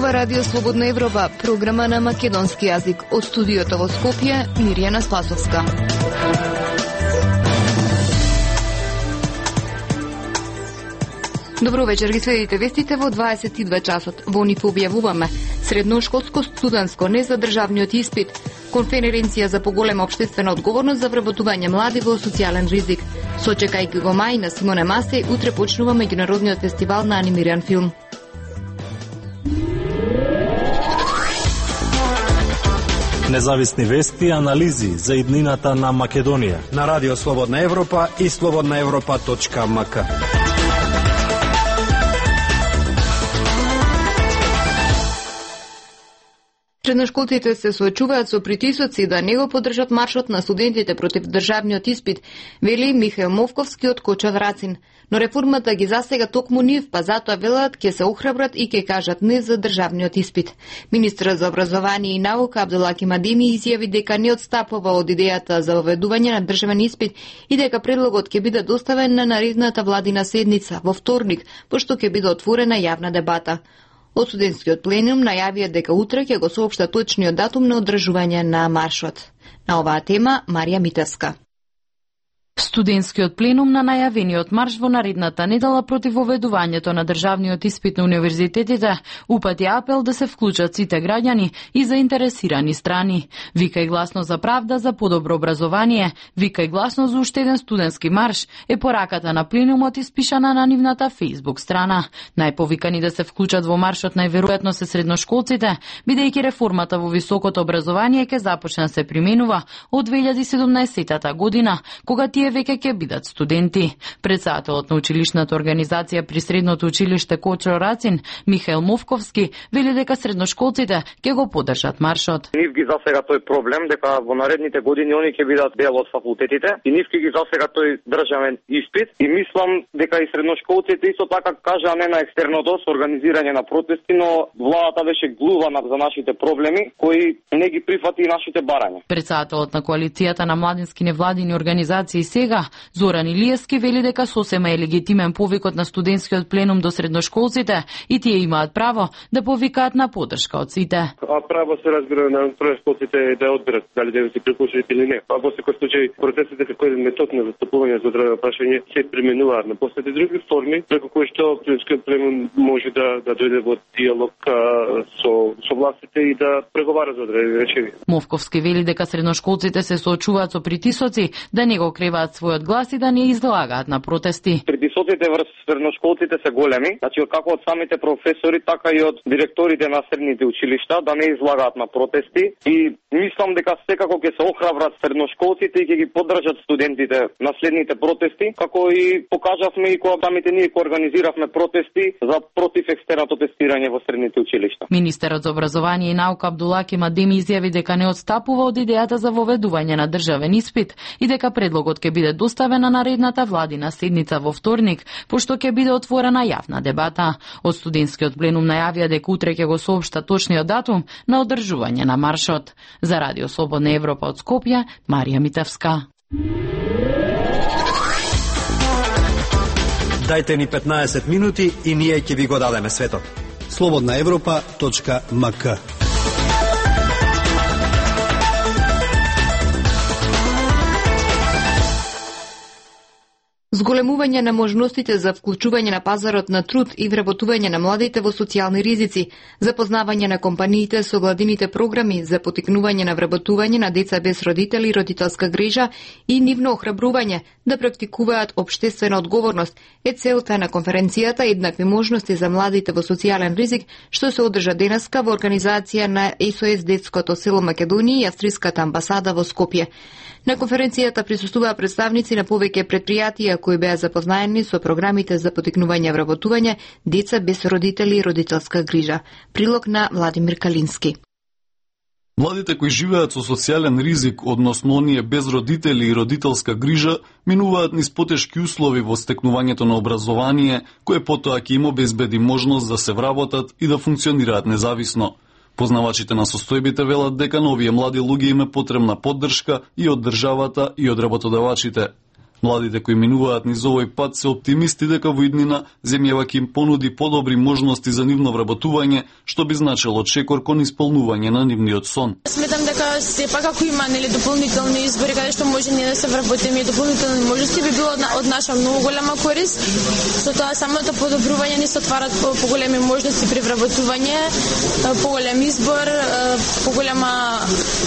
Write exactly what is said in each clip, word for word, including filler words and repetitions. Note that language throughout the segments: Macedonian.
Ова радио Слободна Европа, програма на македонски јазик. Од студиото во Скопје, Мирјана Спасовска. Добро вечер, ги следите вестите во дваесет и две часот. Во нив објавуваме средношколско студентско не за државниот испит, конференција за поголема општествена одговорност за вработување млади во социјален ризик. Сочекајќи го мај на Симоне Масеј, утре почнува меѓународниот фестивал на анимиран филм. Независни вести и анализи за иднината на Македонија на Радио Слободна Европа и слободна европа точка ем ка. Средношколците се соочуваат со притисоци да не го поддржат маршот на студентите против државниот испит, вели Михаил Мовковски од Коча Врацин. Но реформата ги засега токму нив, па затоа велат ќе се охрабрат и ќе кажат не за државниот испит. Министерот за образование и наука Абдулаки Мадеми изјави дека не отстапува од идејата за воведување на државен испит и дека предлогот ќе биде доставен на наредната владина седница во вторник, пошто ќе биде отворена јавна дебата. Од студентскиот пленум најавија дека утре ќе го соопшта точниот датум на одржување на маршот. На оваа тема Марија Митевска. Студентскиот пленум на најавениот марш во наредната недела против воведувањето на државниот испит на универзитетите упати апел да се вклучат сите граѓани и заинтересирани страни. Вика и гласно за правда за подобро образование, вика и гласно за уште еден студентски марш е пораката на пленумот испишана на нивната Facebook страна. Најповикани да се вклучат во маршот најверојатно се средношколците, бидејќи реформата во високото образование ќе започне да се применува од две илјади и седумнаесетта година, кога тие веќе ќе бидат студенти. Председателот на училишната организација при средното училиште Кочо Рацин, Михаил Мовковски, вели дека средношколците ќе го поддржат маршот. Нив ги засега тој проблем дека во наредните години они ќе бидат дел од факултетите и нив ќе ги засега тој државен испит и мислам дека и средношколците исто така кажа не на екстерното со организирање на протести, но владата беше глувана за нашите проблеми кои не ги прифати и нашите барања. Председателот на коалицијата на младински невладини организации сега, Зоран Илиевски, вели дека сосема е легитимен повикот на студентскиот пленум до средношколците и тие имаат право да повикаат на поддршка од сите. А право се разбира на средношколците да одберат дали да се приклучат или не. А во секој случај процесите како еден метод на застапување за одредено прашање се применуваат на последни други форми, преку кои што студентскиот пленум може да да дојде во диалог со со властите и да преговара за одредени решенија. Мовковски вели дека средношколците се соочуваат со притисоци да не го креваат својот глас и да не излагаат на протести. Притисоците врз средношколците се големи, значи како од самите професори, така и од директорите на средните училишта да не излагаат на протести и мислам дека секако ќе се охрабрат средношколците и ќе ги поддржат студентите на следните протести, како и покажавме и кога самите ние кога организиравме протести за против екстерното тестирање во средните училишта. Министерот за образование и наука Абдулаки Мадеми изјави дека не отстапува од идејата за воведување на државен испит и дека предлогот ќе биде доставена на наредната владина седница во вторник, пошто ќе биде отворена јавна дебата. Од студентскиот пленум најавија дека утре ќе го соопшта точниот датум на одржување на маршот. За Радио Слободна Европа од Скопје, Марија Митевска. Дајте ни петнаесет минути и ние ќе ви го дадеме светот. слободна европа точка ем ка. Зголемување на можностите за вклучување на пазарот на труд и вработување на младите во социјални ризици, запознавање на компаниите со владините програми за потикнување на вработување на деца без родители и родителска грижа и нивно охрабрување да практикуваат општествена одговорност е целта на конференцијата Еднакви можности за младите во социјален ризик, што се одржа денеска во организација на ес о ес Детското село Македонија и Австриската амбасада во Скопје. На конференцијата присуствуваа представници на повеќе претпријатија кои беа запознаени со програмите за потикнување вработување деца без родители и родителска грижа. Прилог на Владимир Калински. Младите кои живеат со социјален ризик, односно оние без родители и родителска грижа, минуваат низ потешки услови во стекнувањето на образование, кое потоа ќе им обезбеди можност да се вработат и да функционираат независно. Познавачите на состојбите велат дека на овие млади луѓе им е потребна поддршка и од државата и од работодавачите. Младите кои минуваат низ овој пат се оптимисти дека во иднина земјава ќе им понуди подобри можности за нивно вработување, што би значило чекор кон исполнување на нивниот сон. Сметам дека сепак ако има нели дополнителни избори каде што може ние да се вработиме и дополнителни можности би било од наша многу голема корист. Со тоа самото подобрување ни се отварат поголеми можности при вработување, поголем избор, поголема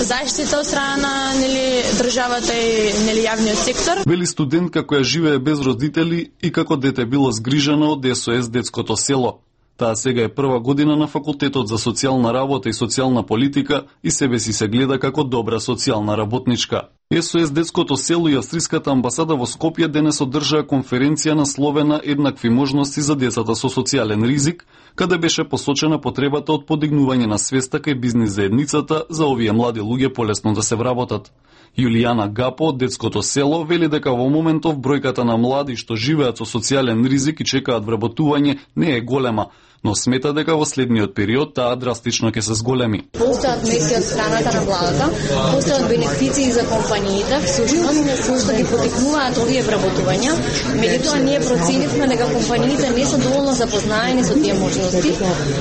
заштита од страна на нели државата и нели јавниот сектор. Вели студентка која живее без родители и како дете било згрижена од СОС детското село. Таа сега е прва година на факултетот за социјална работа и социјална политика и себе си се гледа како добра социјална работничка. СОС детското село и австриската амбасада во Скопје денес одржаа конференција насловена Еднакви можности за децата со социјален ризик, каде беше посочена потребата од подигнување на свеста кај бизнис заедницата за овие млади луѓе полесно да се вработат. Јулијана Гапо од детското село вели дека во моментов бројката на млади што живеат со социјален ризик и чекаат вработување не е голема, но смета дека во следниот период таа драстично ќе се зголеми. Постојат мерки од страната на владата, постојат бенефиции за компаниите, всушност кои што ги потикнуваат овие вработувања. Меѓутоа ние проценивме дека компаниите не се доволно запознаени со тие можности,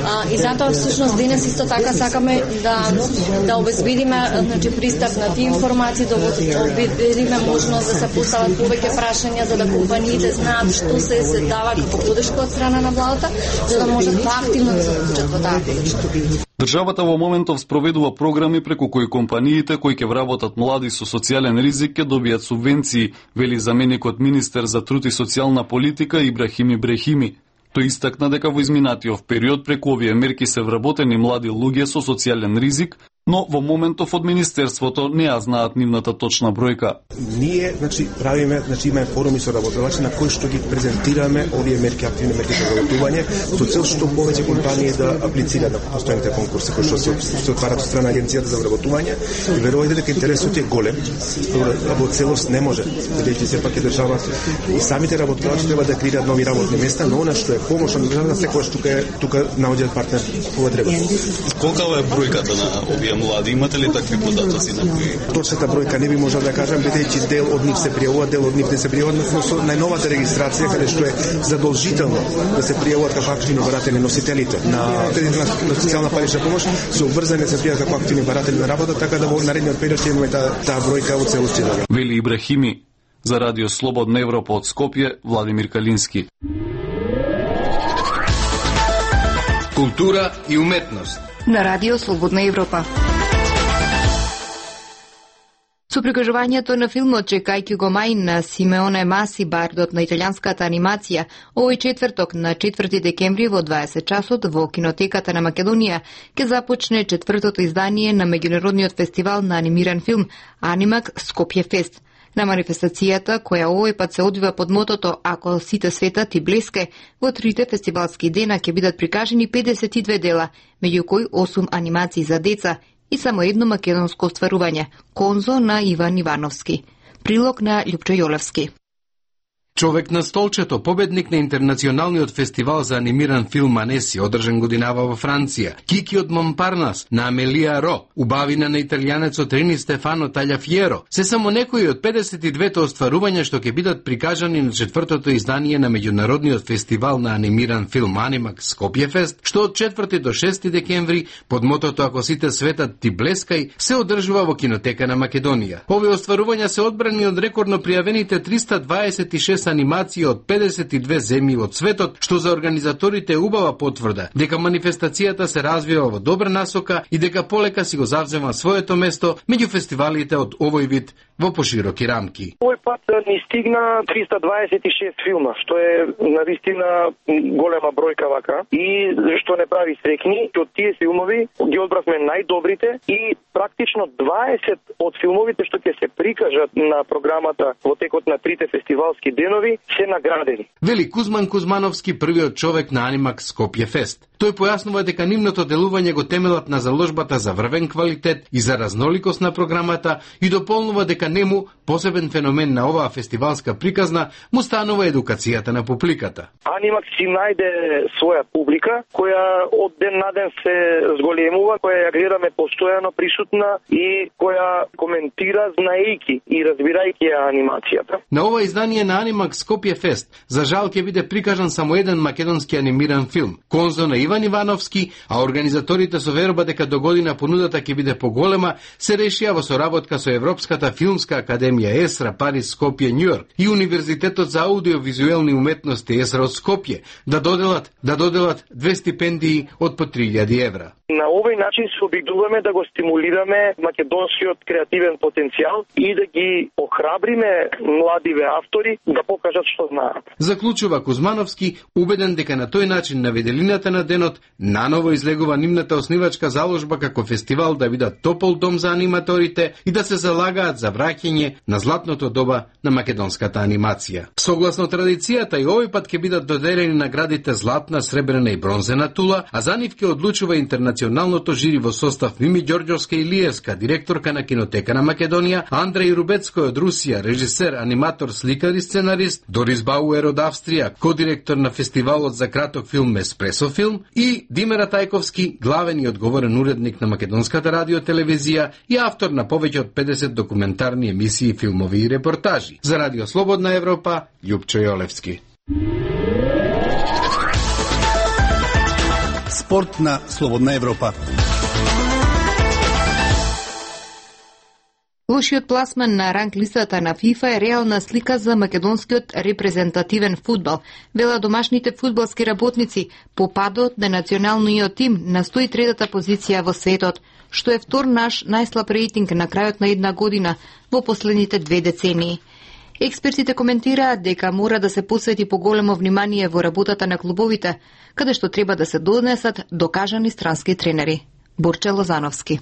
а, и затоа всушност денес исто така сакаме да да обезбедиме значи пристап на тие информации, да обезбедиме можност да се постават повеќе прашања за да компаниите знаат што се се дава како подршка од страна на владата, за да може активно да се вклучат во таа подршка. Државата во моментов спроведува програми преку кои компаниите кои ќе вработат млади со социјален ризик ќе добијат субвенции, вели заменикот министер за труд и социјална политика Ибрахим Ибрахими. Тој истакна дека во изминатиот период преку овие мерки се вработени млади луѓе со социјален ризик, но во моментов од министерството не ја знаат нивната точна бројка. Ние, значи, правиме, значи имаме форуми со работодавци на кои што ги презентираме овие мерки, активни мерки за вработување, со цел што повеќе компании да аплицираат на постојните конкурси кои што се, се отварат од страна агенцијата за вработување. И верувајте дека интересот е голем, а во целост не може, бидејќи сепак е држава и самите работодавци треба да креираат нови работни места, но она што е помош од државата секогаш тука е тука наоѓаат партнер кога треба. Колка е бројката на овие млади? Имате ли такви податоци на кои? Точната бројка не би можел да кажам, бидејќи дел од нив се пријавуваат, дел од нив не се пријавуваат, но со најновата регистрација каде што е задолжително да се пријавуваат како активни баратели носителите на кредитна на социјална парична помош, се обврзани да се пријавуваат како активни баратели на работа, така да во наредниот период ќе имаме таа таа бројка во целост. Вели Ибрахими. За Радио Слободна Европа од Скопје, Владимир Калински. Култура и уметност на Радио Слободна Европа. Со прикажувањето на филмот Чекајќи го мај на Симеоне Маси, бардот на италијанската анимација, овој четврток на четврти декември во дваесет часот во Кинотеката на Македонија ќе започне четвртото издание на меѓународниот фестивал на анимиран филм Анимак Скопје Фест. На манифестацијата, која овој пат се одвива под мотото "Ако сите света ти блеске", во трите фестивалски дена ќе бидат прикажани педесет и две дела, меѓу кои осум анимации за деца и само едно македонско остварување – Конзо на Иван Ивановски. Прилог на Љупчо Јолевски. Човек на столчето, победник на интернационалниот фестивал за анимиран филм Анеси, одржан годинава во Франција, Кики од Монпарнас на Амелија Ро, убавина на италијанецот Рини Стефано Таљафиеро, се само некои од педесет и две остварувања што ќе бидат прикажани на четвртото издание на меѓународниот фестивал на анимиран филм Анимак Скопје Фест, што од четврти до шести декември под мотото "Ако сите светат ти блескај" се одржува во Кинотека на Македонија. Овие остварувања се одбрани од рекордно пријавените триста дваесет и шест анимација од педесет и две земји од светот, што за организаторите е убава потврда дека манифестацијата се развива во добра насока и дека полека си го завзема своето место меѓу фестивалите од овој вид во пошироки рамки. Овој пат ни стигна триста дваесет и шест филма, што е навистина голема бројка вака и што не прави срекни. Од тие филмови ги одбравме најдобрите и практично дваесет од филмовите што ќе се прикажат на програмата во текот на трите фестивалски дена денови се наградени. Вели Кузман Кузмановски, првиот човек на Анимакс Скопје Фест. Тој појаснува дека нивното делување го темелат на заложбата за врвен квалитет и за разноликост на програмата и дополнува дека нему посебен феномен на оваа фестивалска приказна му станува едукацијата на публиката. Анимакс си најде своја публика која од ден на ден се зголемува, која ја гледаме постојано присутна и која коментира знаејќи и разбирајќи ја анимацијата. На ова издание на Анимакс Скопје Фест за жал ќе биде прикажан само еден македонски анимиран филм, Конзо на Иван Ивановски, а организаторите со верба дека до година понудата ќе биде поголема, се решија во соработка со Европската филмска академија ЕСРА Париз, Скопје, Њујорк и Универзитетот за аудиовизуелни уметности ЕСРА од Скопје да доделат да доделат две стипендии од по три илјади евра. На овој начин се обидуваме да го стимулираме македонскиот креативен потенцијал и да ги охрабриме младиве автори да покажат што знаат. Заклучува Кузмановски, убеден дека на тој начин на виделината на денот наново излегува нивната основачка заложба како фестивал да бидат топол дом за аниматорите и да се залагаат за враќање на златното доба на македонската анимација. Согласно традицијата и овој пат ќе бидат доделени наградите златна, сребрена и бронзена тула, а за нив ќе одлучува интернационалното жири во состав Мими Ѓорѓовска Илиевска, директорка на Кинотека на Македонија, Андреј Рубецкој од Русија, режисер, аниматор, сликар и сценарист, Дорис Бауер од Австрија, кодиректор на фестивалот за краток филм Еспресо филм и Димера Тајковски, главен и одговорен уредник на Македонската радиотелевизија и автор на повеќе од педесет документарни емисии, филмови и репортажи. За Радио Слободна Европа, Љупчо Јолевски. Спорт на Слободна Европа. Лошиот пласман на ранг листата на ФИФА е реална слика за македонскиот репрезентативен фудбал. Вела домашните фудбалски работници по падот на националниот тим на сто и трета позиција во светот, што е втор наш најслаб рейтинг на крајот на една година во последните две децении. Експертите коментираат дека мора да се посвети поголемо внимание во работата на клубовите, каде што треба да се донесат докажани странски тренери. Борче Лозановски.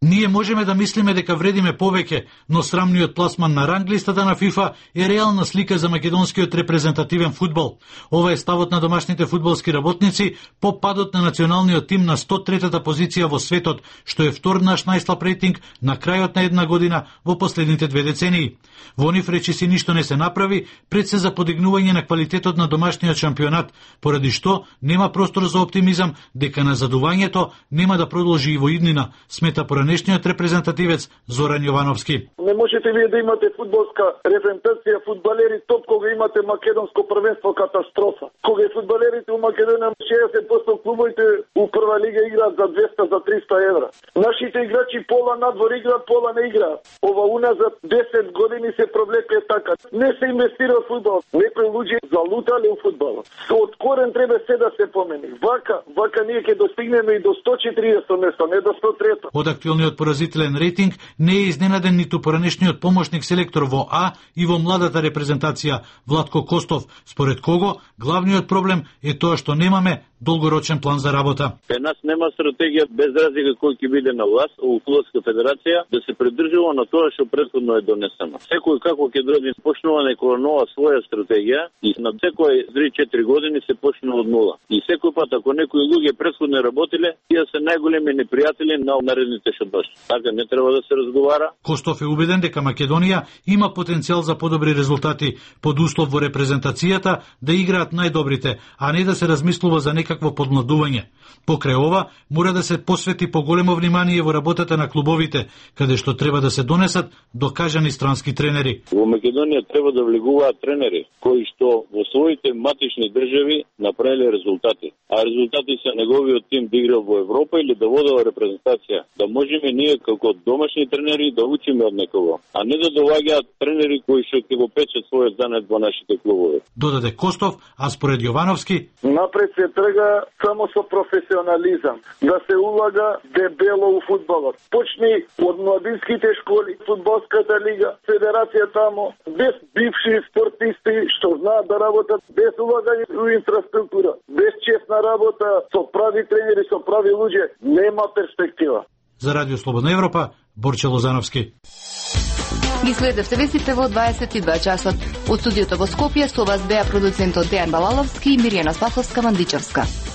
Ние можеме да мислиме дека вредиме повеќе, но срамниот пласман на ранглистата на ФИФА е реална слика за македонскиот репрезентативен фудбал. Ова е ставот на домашните фудбалски работници по падот на националниот тим на сто и трета позиција во светот, што е втор наш најслаб рейтинг на крајот на една година во последните две децении. Во нив речиси ништо не се направи пред се за подигнување на квалитетот на домашниот шампионат, поради што нема простор за оптимизам дека назадувањето нема да продолжи и во иднина, смета поранешниот репрезентативец Зоран Јовановски. Не можете вие да имате фудбалска репрезентација, фудбалери топ, кога имате македонско првенство катастрофа. Кога и фудбалерите у Македонија шеесет проценти клубовите у прва лига играат за двеста, за триста евра. Нашите играчи пола надвор играат, пола не играат. Ова уназад десет години се провлеке така. Не се инвестира во фудбал. Некои луѓе залутале у фудбалот. Од корен треба се да се помени. Вака, вака ние ќе достигнеме и до сто и четириесето место, не до сто и трето. Од актуелниот поразителен рейтинг не е изненаден ниту поранешниот помошник селектор во А и во младата репрезентација Владко Костов, според кого главниот проблем е тоа што немаме долгорочен план за работа. Кај нас нема стратегија без разлика кој ќе биде на власт во Фудбалска федерација да се придржува на тоа што претходно е донесено. Секој како ќе дојде почнува некоја нова своја стратегија и на секој три-четири години се почнува од нула. И секој пат ако некои луѓе претходно работеле, тие се најголеми непријатели на наредните што дојдат. Така не треба да се разговара. Костов е убеден дека Македонија има потенцијал за подобри резултати под услов во репрезентацијата да играат најдобрите, а не да се размислува за некакво подмладување. Покрај ова, мора да се посвети поголемо внимание во работата на клубовите, каде што треба да се донесат докажани странски тренери. Во Македонија треба да влегуваат тренери кои што во своите матични држави направиле резултати, а резултати се неговиот тим да игра во Европа или да водува репрезентација, да можеме ние како домашни тренери да учиме од некого, а не да доаѓаат тренери кои што ќе го печат својот данет во нашите клубови. Додаде Костов, а според Јовановски, напред се трга само со професионализам, да се улага дебело у фудбалот. Почни од младинските школи, фудбалската лига, федерација тамо, без бивши спортисти што знаат да работат, без улагање у инфраструктура, без честна работа со прави тренери, со прави луѓе, нема перспектива. За Радио Слободна Европа, Борче Лозановски. Ги следевте вестите во дваесет и два часот. Од студиото во Скопје со вас беа продуцентот Дејан Балаловски и Миријана Спасовска-Мандичевска.